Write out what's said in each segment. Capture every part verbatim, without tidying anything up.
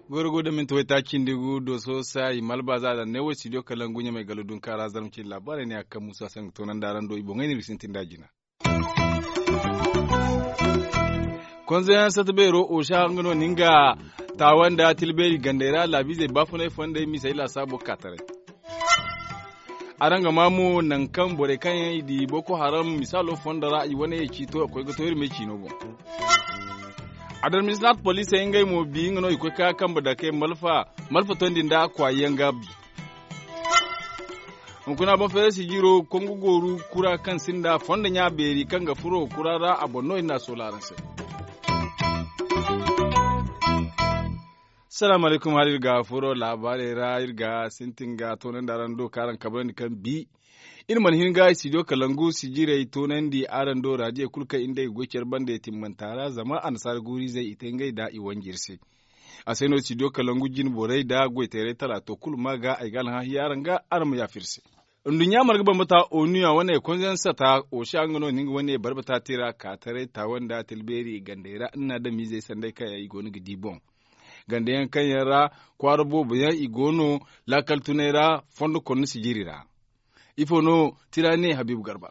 Gorgo da minti waytaaci cindi gu dooso se i malba za a daŋ ne wo studio kalangu ɲamay galo dunka ra zarma cindi laabaarey ne a ga kaŋ muusa se nga toonandi araŋ do i boŋey no iri ga sintin nd'a jina. Konzeyaŋ sata beero osa nga no na nga taawa nda tilbeeri gandey ra laabiizey baafunay fondey misey laasaabo ga ka taray. Araŋ ga maa mo nangu kaŋ borey kaŋ yaŋ i di boko haram misaalo fondo ra i wane ye ciito a koy ga to iri me ciino boŋ. Administrat poliisey ngey mo bi nga no i koy ka kambe dake malfa tondi nda kwaayi yaŋ ga bi. Hunkuna boŋ feere sijiro kongu gooru kura kaŋ sinda fondo ɲa beeri kaŋ ga furo kura ra a boŋ no iri n'a soola araŋ se. Salaamu alaykum hala iri ga furo laabaarey ra iri ga sintin ga toonandi araŋ do kaŋ araŋ kabrandi kaŋ bi iri mana hin ga studio kalangu sijirey toonandi araŋ do raadiyo kulu kaŋ iri nda ay ga goy care banda timmanta ra zama annasaara guuru-izey i te ngey da i wanji iri se. A se no studio kalangu jine borey nda goyteerey talaato kulu ma ga ay ga alhã hiya araŋ ga araŋ ma yaafa iri se. Nduɲɲa marga bambata onu ya wane konzeyaŋ sata osa nga no na nga wane barbata te ra ka taray taawa nda tilbeeri gandey ra nda adamizey sanday kaŋ yaŋ i go no ga di boŋ. Ganda yaŋ kaŋ yaŋ ra kwaara boobo yaŋ i go no laakal tunay ra fondo konna sijiri ra. Ifo no tira ne habiibu garba?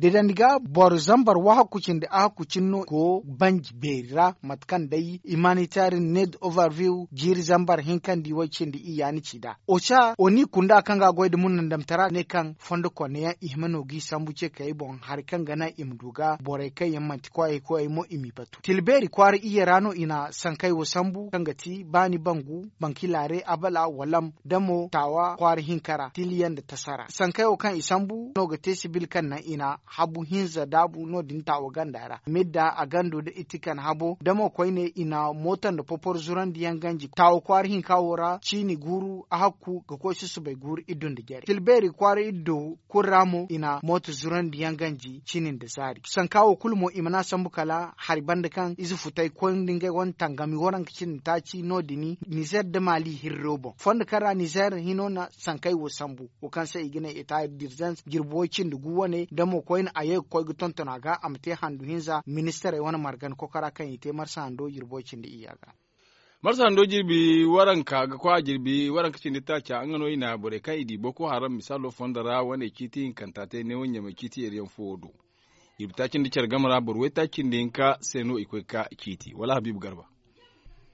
Deedandi ga boro zambar wahakku cindi ahakku cine no go banji beeri ra mate kaŋ day humanitarian need overview jiiri zambar hinkandi way cindi iyya ni ci nd'a. Oca oni kunda kaŋ ga goy nda munandamtara ne kaŋ fondo konna yaŋ i hima no g'i sambu ce kayey boŋ hari kaŋ ga naŋ i ma du ga borey kaŋ yaŋ manti koyey koyey mo i m'i batu tilbeeri kwaara iyye ra no i na sankey wo sambu kaŋ ga ti baani bangu bankilaare abala walam da mo taawa kwaara hinka ra tiliyaŋ nda tasa ra sankey wo kaŋ i sambu no ga te sibil kaŋ naŋ i na habu hinza daabu no- din taawa ganda ra midda a gando nda itikan habo da mo koyne i na mooto nda popor zurandi yaŋ ganji taawa kwaara hinka wo ra ciini guuru ahakku ga koy susubay guuru iddu nda jare tilbeeri kwaara iddu kulu ra mo i na mooto zurandi yaŋ ganji cini nda zaari sanka wo kulu mo i mana sambu kala hari banda kaŋ ize futay koy nda ngey wane tangami waranka cindi taaci no- din nizer nda maali hirro boŋ fondo kaŋ ra nizer hino na sankey wo sambu wo kaŋ se i ga ne eta dirzens jirbi way cindi gu wane da mo koyne a ye ga koy ga tonton a ga a ma te handu hinza ministarey wane margan kokora kaŋ i te marsa hando jirbi way cindi iyya ga. Marsa hando jirbi waranka ga koy a jirbi waranka cindi taaca nga no i na borey kaŋ i di boko haram misaalo fondo ra wane ciiti hinkanta te neewo ɲamey ciiti yeeriyaŋ fo wo do. Jirbi taaci nda care game ra boro waytaaci nda hinka se no i koy ga ka ciiti wala habiibu garba.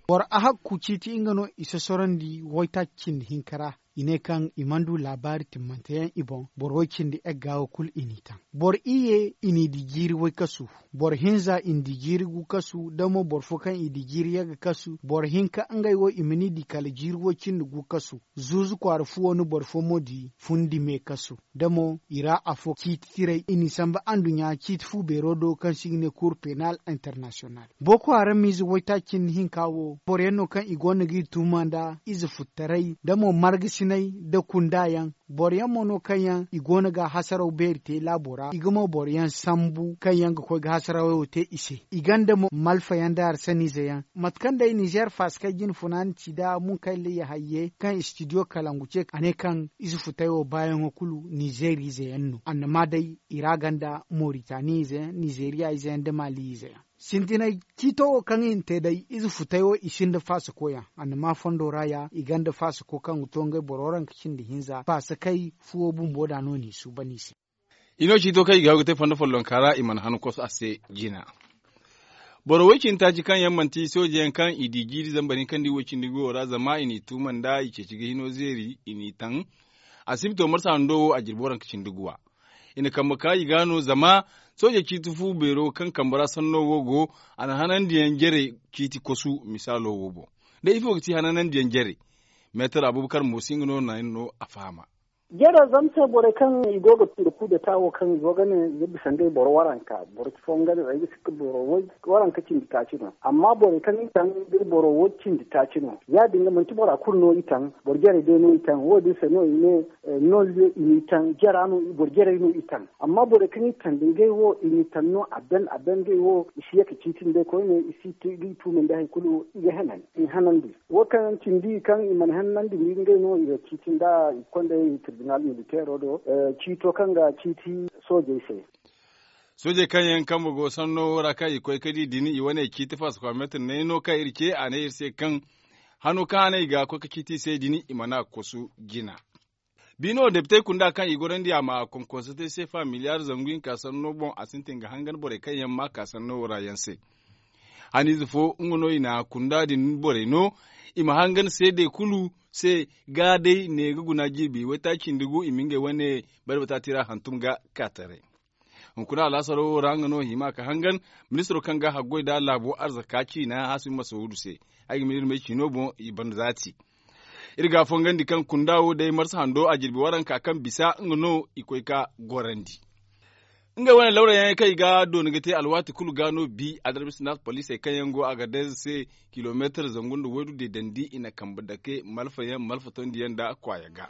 Boro ahakku ciiti nga no i sosorandi waytaaci cindi hinka ra i ne kaŋ i mana du laabaari timmante yaŋ i boŋ boro way cindi egga wo kulu i n'i taŋ boro iyye i n'i di jiiri way kasu boro hinza i n'i di jiiri gu kasu da mo boro fo kaŋ i di jiiri yagga kasu boro hinka ngey wo i ma n'i di kala jiiri way cindi gu kasu zuuzu kwaara fuwo no boro fo mo di fundi me kasu da mo i ra afo ciiti tiray i n'i sambu anduɲɲa ciiti fu beero do kaŋ se i ga ne kuur penal internasiyonal boko haram ize waytaaci cindi hinka wo boro yaŋ no kaŋ i go no g'i tuuma nda ize futtaray da mo margasinay nda kunda yaŋ boro yaŋ mo no kaŋ yaŋ i go no ga hasaraw beeri te laabo ra i ga mo boro yaŋ sambu kaŋ yaŋ ga koy ga hasarawey wo te i se i gonda mo malfa yaŋ nda harsaniize yaŋ mate kaŋ day nizer fasikey jine funaani ci nda munkaylla yahayye kaŋ istidiyo kalangu ce a ne kaŋ ize futay wo baayaŋo kulu nizer ize yaŋ no annama day i ra gonda moritani ize yaŋ nizeriya ize yaŋ nda mali ize yaŋ sintinay ciito wo kaŋ i na te day ize futay wo i sinda faasako yaŋ annama fondo ra ya i gonda faasako kaŋ ga to ngey boro waranka cindi hinza faasakey fuwo bumbo da no n'i suuban i se. I no ciito kaŋ i ga haw ga te fondo follonka ra i mana han koso a se jina. Boro way cindi taaci kaŋ yaŋ manti sooje yaŋ kaŋ i di jiiri zambar hinkandi way cindi guwo ra zama i n'i tuuma nda i ceeci ga hino zeeri i n'i taŋ. Asibito marsa hando wo a jirbi waranka cindi guwa i na kambe ka i ga no zama sooje ciiti fu beero kaŋ kambe ra sanno wo go a na hanandiyaŋ jare ciiti kosu misaalo wo boŋ. Day ifo ga ti hananandiyaŋ jare meetar abubakar moosi nga no naŋ no a fahama. Jare zama se borey kaŋ i go ga tira kudeta wo kaŋ i go ga ne, i ga bisa ngey boro waranka boro fo nga ne ay ga sikka boro waranka cindi taaci no. Amma borey kaŋ i taŋ, ngey boro wo cindi taaci no. Ya- din ga manti bora kulu no i taŋ, boro jarey day no i taŋ. Wo- din se no i ne, nolliyo i n'i taŋ jara no, boro jarey no i taŋ. Amma borey kaŋ i taŋ da ngey wo i n'i taŋ no a ben a ben ngey wo i si ye ga ciiti nda koyne i si ga i tuumandi hari kulu i ga hanan i hanandi. Wo kaŋ cindi kaŋ i mana hannandi ni ngey no i ga ciiti nda i kondey tirbinal militeero do, ciito kaŋ ga ciiti soojey se. Soojey kaŋ yaŋ kambe go sanno wo ra kaŋ i koy ga di din i wane ciiti faasa kilomeetir nay no kaŋ iri ce a ne iri se kaŋ hano kaŋ a ne i ga koy ga ciiti i se din i mana kosu jina. Biino depitey kunda kaŋ i gorandi a ma konkonso te seefa miliyaar zangu hinka sanno boŋ a sintin ga hangan borey kaŋ yaŋ ma ka sanno wo ra yaŋ se. Haniize fo nga no i na kunda din borey no i ma hangan seedey kulu se ga day ne ga guna jirbi waytaaci nda gu i ma ngey wane barbata tira hantum ga ka taray. Hunkuna alaasaro wo ra nga no hima ka hangan ministiro kaŋ ga haggoy nda laabo arzaka ciina hasim masawudu se. Ay ga ma iri may ciino boŋ i banda zaati. Iri ga a fongandi kaŋ kunda wo day marsa hando a jirbi waranka kaŋ bisa nga no i koy ga gorandi. Ngey wane lawra yaŋey kaŋ i ga dooni ga te alwaati kulu ga no bi adarbisi naata poliisey kaŋ yaŋ go a ga deeze se kilomeetir zangu nda waydu deedandi i na kambe dake malfa yaŋ malfa tondi yaŋ nda kwaaya ga.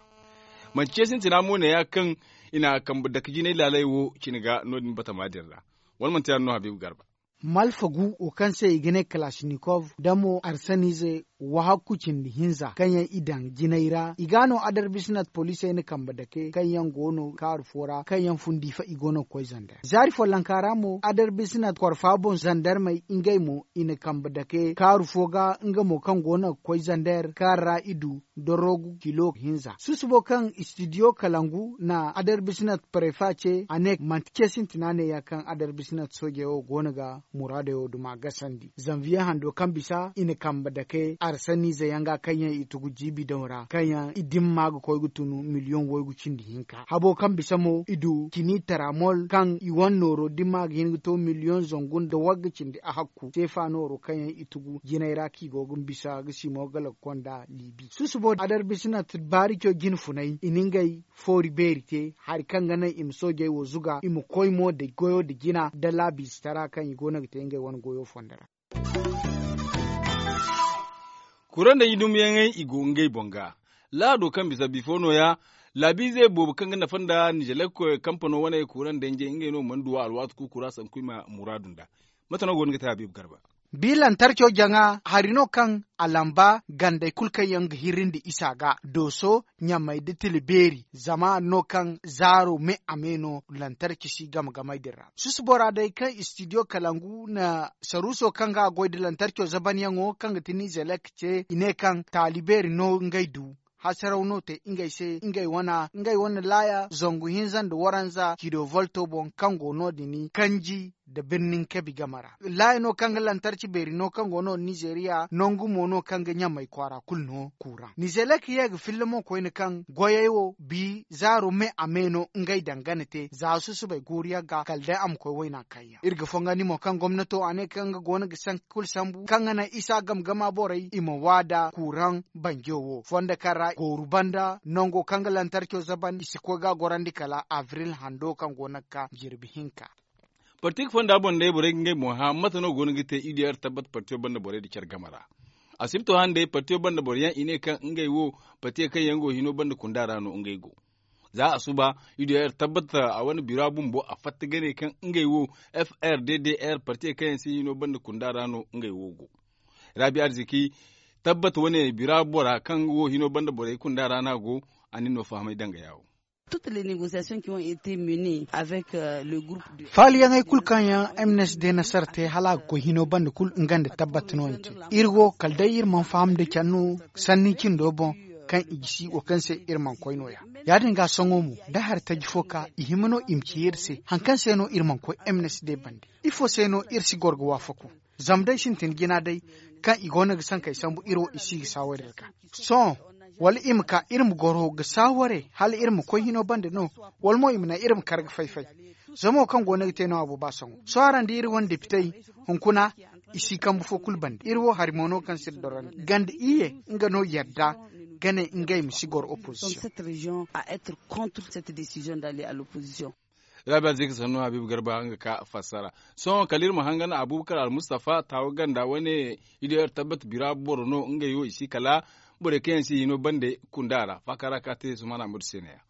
Manti ce sintina mo ne- ya kaŋ i na kambe dake jinay laaley wo cine ga no- din batama din ra. Wala manti ya- din no habiibu garba. Malfa gu wo kaŋ se i ga ne kalasinikov da mo arsanize wahakku cindi hinza kaŋ yaŋ i daŋ jinay ra i ga no adarbisi naata poliisey na kambe dake kaŋ yaŋ go no kaaru fo ra kaŋ yaŋ fun diifa i go no ga koy zander zaari follonka ra mo adarbisi naata korfa boŋ zandermey ngey mo i na kambe dake kaaru fo ga nga mo kaŋ go no ga koy zander kaŋ ra i du dorogu kilo hinza susubo kaŋ istidiyo kalangu na adarbisi naata parefa ce a ne manti ce sintina ne- ya kaŋ adarbisi naata soojey wo go no ga muraadey wo duma gasandi zanviye hando kaŋ bisa i na kambe dake arsaniize yaŋ ga kaŋ yaŋ i tugu jiibi daŋ ra kaŋ yaŋ i dimma ga koy ga tunu miliyoŋ waygu cindi hinka habo kaŋ bisa mo i du cini taramol kaŋ i wane nooro dimma ga hin ga to miliyoŋ zangu nda wagga cindi a hakku seefa nooro kaŋ yaŋ i tugu jinay ra kaŋ i go ga bisa ga simo ga lagu konda liibi susubo adarbisi naata baarico jine funay i na ngey foori beeri te hari kaŋ ga naŋ i ma soojey wo zuga i ma koy mo nda goyo nda jina nda laabiizitara kaŋ i go no ga te ngey wane goyo fondo ra. Kuraŋ danji dumyaŋey i go ngey boŋ ga laado kaŋ bisa bifo no- ya laabiize boobo kaŋ ga nafa nda nizelek kampano wane kuraŋ danjey ngey no mana duw'a alwaati kulu kura sanku i ma muraadu nd'a. Mate no go no ga te habiibu garba? Bi lantarco jaŋa hari no kaŋ a lamba gandey kulu kaŋ yaŋ ga hirrindi isa ga dooso ɲamey da tilibeeri zama no kaŋ zaaro me a me no lantarci si game-gamey din ra susu bora day kaŋ istidiyo kalangu na saruuso kaŋ ga a goy nda lantarco zabanyaŋo kaŋ ga ti nizelek ce i ne kaŋ taali beeri no ngey du hasaraw no te ngey se ngey wane laaya zangu hinza nda waranza cido volto boŋ kaŋ go no- din kanji nda birnin kabi game ra laaya no kaŋ ga lantarci beeri no kaŋ go no nizeriya nangu mo no kaŋ ga ɲamey kwaara kulu no kuuraŋ nizelek ye ga filla mo koyne kaŋ goyey wo bi zaaro me a me no ngey dangana te za susubay guuru yaŋ ga kala day a ma koy wayna kayyaŋ iri ga fongandi mo kaŋ gomnato a ne kaŋ ga go no ga sanka kulu sambu kaŋ ga naŋ isa game-gama borey i ma waada kuuraŋ banjo wo fondo kaŋ ra gooru banda nango kaŋ ga lantarco zaban i si koy ga a gorandi kala abril hando kaŋ go no ga ka jirbi hinka. Parti ga fonda boŋ day borey ga ngey boŋ hã mate no go no ga te i diya ra tabbat partiyo banda borey nda care game ra. Asibto hã nda day partiyo banda boro yaŋ i ne kaŋ ngey wo partiyo kaŋ yaŋ go hino banda kunda ra no ngey go. Za a suba i diya ra tabbat a wane bira bumbo a fatta ga ne kaŋ ngey wo f r d d r partiyo kaŋ yaŋ si hino banda kunda ra no ngey wo go. Rabi arziki tabbat wane bira bora kaŋ wo hino banda borey kunda ra no a go. A nin no fahamay danga yaawo. Faaliyaŋey kulu kaŋ yaŋ m n s d nasara te hala a ga koy hino banda kulu nga nda tabbat no i te. Iri wo kala day iri mana faham nda care no sanni cindo boŋ kaŋ i gisi wo kaŋ se iri mana koy no- ya. Ya- din ga sohõ mo da hari taji fo ka i hima no i ma ci iri se hari kaŋ se no iri mana koy m n s d bande? Ifo se no iri si goro ga waafaku? Zama day sintin jina day kaŋ i go no ga sankey sambu iri wo i si ga saawari ra ga. Sohõ wala i ma ka iri ma goro ga saaware hala iri ma koy hino bande no? Wala mo i ma naŋ iri ma kar ga fay-fay? Zama wo kaŋ go no ga te no a booba sango sohõ araŋ di iri wane depitey hunkuna i si kambu fo kulu bande iri wo hari mo no kaŋ si iri dorandi ganda iyye nga no yadda. ga ne ngey ma si goro opposition. Rabi alzika sannu habibu garba nga ka fassara. Sohõ kala iri ma hangan abubakar almustafa taawa ganda wane idiyar tabbat bira boro no ngey wo i si kala borey kaŋ yaŋ si hino bande kunda ra faakara ka te sumana mudu se ne ya.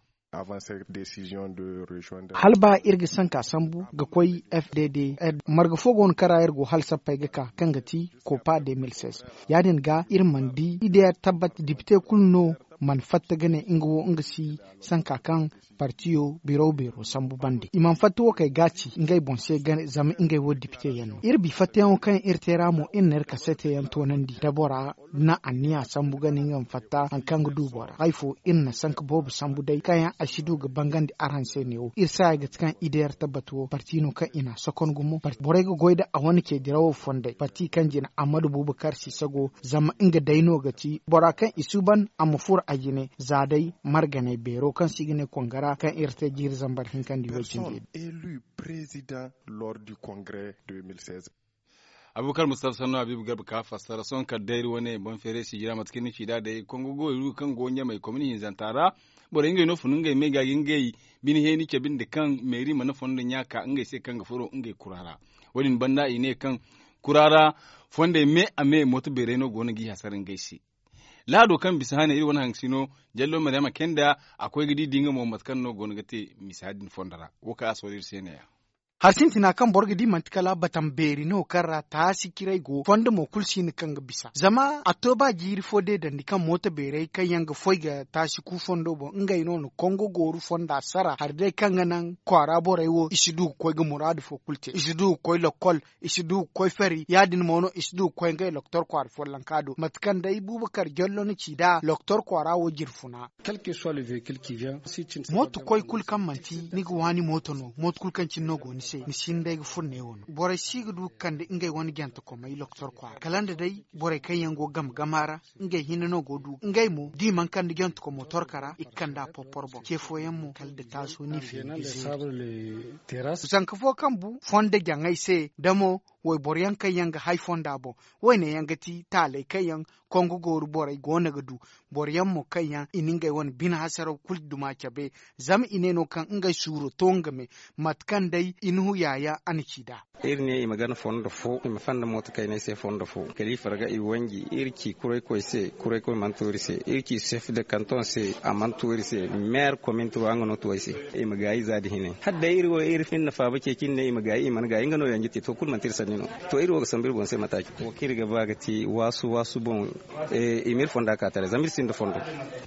Hala ba iri ga sanka sambu ga koy f d d, marga fo go no kaŋ ra iri go hala sappey ga ka kaŋ ga ti kopa deux mille seize. Ya- din ga iri mana di idiyar tabbat dipite kulu no mana fatta ga ne nga wo nga si sanka kaŋ partiyo biraw beero sambu bande i mana fatta wo kay gaaci ngey boŋ se zama ngey wo dipite yaŋ no iri bi fattayaŋo kaŋ iri te ra mo iri na iri kasete yaŋ toonandi da bora na anniya sambu ga ne nga ma fatta hari kaŋ ga du bora hari fo iri na sanka boobo sambu day kaŋ yaŋ a si du ga bangandi araŋ se ne wo iri saaya ga ti kaŋ ideyar tabbat wo parti no kaŋ i na a sokon gumo borey ga goy da a wane ce dirawo fondey parti kaŋ jina ammadu bubakar sisago zama nga day no ga ti bora kaŋ i suuban a ma furo a jine za day marganey beero kaŋ se i ga ne kongara kaŋ iri te jiiri zambar hinkandi way cindi. Abubakar mustafa sanno habibu garba ka fassara sohõ kala day iri wane boŋ feeray sijira mate kaŋ ni ci nd'a day kongo goy ru kaŋ go ɲamay komini hinzanta ra borey ngey no fun ngey me ga ga ngey bine heeni cabe nda kaŋ meeri mana fondo ɲa ka ngey se kaŋ ga furo ngey kura ra. Wo- din banda i ne kaŋ kura ra fondey me a me mooto beeray no go no g'i hasara ngey se. Laado kaŋ bisa hane iri wane haŋ sino jallo maryama kenda a koy ga di di nga mo mate kaŋ no go no ga te misa din fondo ra wo kaŋ a sooro iri se ne- ya. Hari sintina kaŋ boro ga di manti kala batam beeri no kaŋ ra taasi ciray go fondo mo kulu si hin kaŋ ga bisa zama a to ba jiiri fo deedandi kaŋ mooto beerey kaŋ yaŋ ga foy ga taasi ku fondo boŋ ngey no na kongo gooru fonda sara hari day kaŋ ga naŋ kwaara borey wo i si du ga koy ga muraadu fo kulu te i si du ga koy lokkol i si du ga koy fari ya- din mo no i si du ga koy ngey loktor kwaara follonka do mate kaŋ day bubakar jallo na ci nd'a loktor kwaara wo jirfuna. Mooto koy kulu kaŋ manti ni ga waani mooto no mooto kulu kaŋ cine no go ni se ni si hin day ga furo neewo no borey si ga du ga kande ngey wane jantekomey loktor kwaara kala nda day borey kaŋ yaŋ go game gama ra ngey hinne no go du ngey mo da i mana kande jantekomo torka ra i ga kande a porpor boŋ ce fooyaŋ mo kala nda taaso ni feeri ga zeeri. Zanka fo kaŋ bu fondo jaŋay se da mo wayboro yaŋ kaŋ yaŋ ga hay fonda boŋ wayne yaŋ ga ti taaley kaŋ yaŋ kongo gooru borey go no ga du boro yaŋ mo kaŋ yaŋ i na ngey wane bine hasaraw kulu duma cabe zama i ne no kaŋ ngey suuro to nga me mate kaŋ day i na hu yaayaŋ a na ci nd'a. Iri ne i ma gana fondo fo i ma fanda mooto kayney se fondo fo kala i farga i wanji iri ci kuraykoy se kuraykoy mana to iri se iri ci sef de kanton se a mana to iri se meer komin turu nga no to ay se. I ma gaayi za da hine hala day iri wo iri fin na faaba ceeci iri ne i ma gaayi i mana gaayi nga no yanji te to kulu manti iri sanni no. To iri wo ga sambu iri boŋ se mataci wo kaŋ iri ga ba ga ti waasu waasu boŋ i ma iri fonda ka taray zama iri sinda fondo.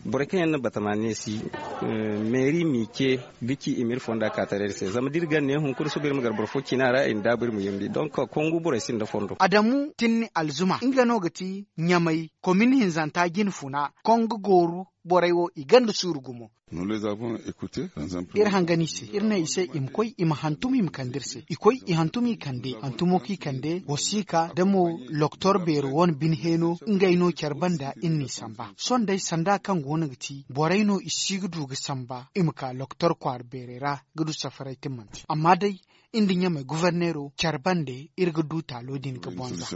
Borey kaŋ yaŋ na batama neesi meeri m'i ce ga ci i ma iri fonda ka taray iri se zama da iri gana ne hunkuna suba iri ma gar boro fo cina ra i na daabu iri ma yambi donk kongu borey sinda fondo. Adamu tinni alzuma nga no ga ti ɲamay komin hinzanta jine funa kongu gooru borey wo i ganda suuru gumo. Iri hangan i se iri ne i se i ma koy i ma hantum i ma kande iri se i koy i hantum i kande hantumo kaŋ i kande wasiika da mo loktor beero wane bine heeno ngey no care banda iri n'i samba sohõ day sanda kaŋ go no ga ti borey no i si ga du ga samba i ma ka loktor kwaara beerey ra ga du safaray timmante amma day iri nda ɲamey goforneero care bande iri ga du taalo din ga bonza.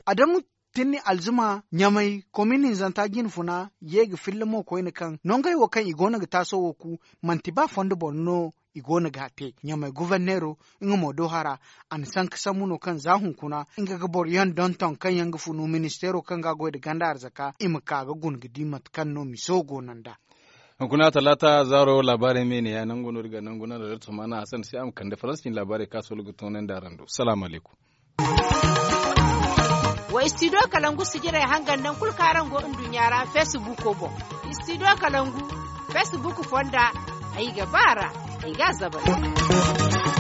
Adamu tinni alzuma ɲamey komin hinzanta jine funa ye ga filla mo koyne kaŋ nongey wo kaŋ i go no ga taaso wo ku manti ba fondo boŋ no i go no ga a te ɲamey goforneero nga mo do hara a na sanka sambu no kaŋ za hunkuna nga ga boro yaŋ donton kaŋ yaŋ ga funu ministeero kaŋ ga a goy nda ganda arzaka i ma ka ga guna ga di mate kaŋ no miso go no nd'a. Hunkuna talaata zaaro laabaarey me ne ya nangu no iri ga nangu no da iri tuma na hasan se a ma kande faransi cine laabaarey kaŋ a sohõ ga toonandi araŋ do salaamu alaykum. Wa istidiyo kalangu sijirey hangan naŋ kulu kaŋ araŋ go nduɲɲa ra feesibuuko boŋ. Istidiyo kalangu feesibuuko fonda ay ga ba a ra ay ga a zabari.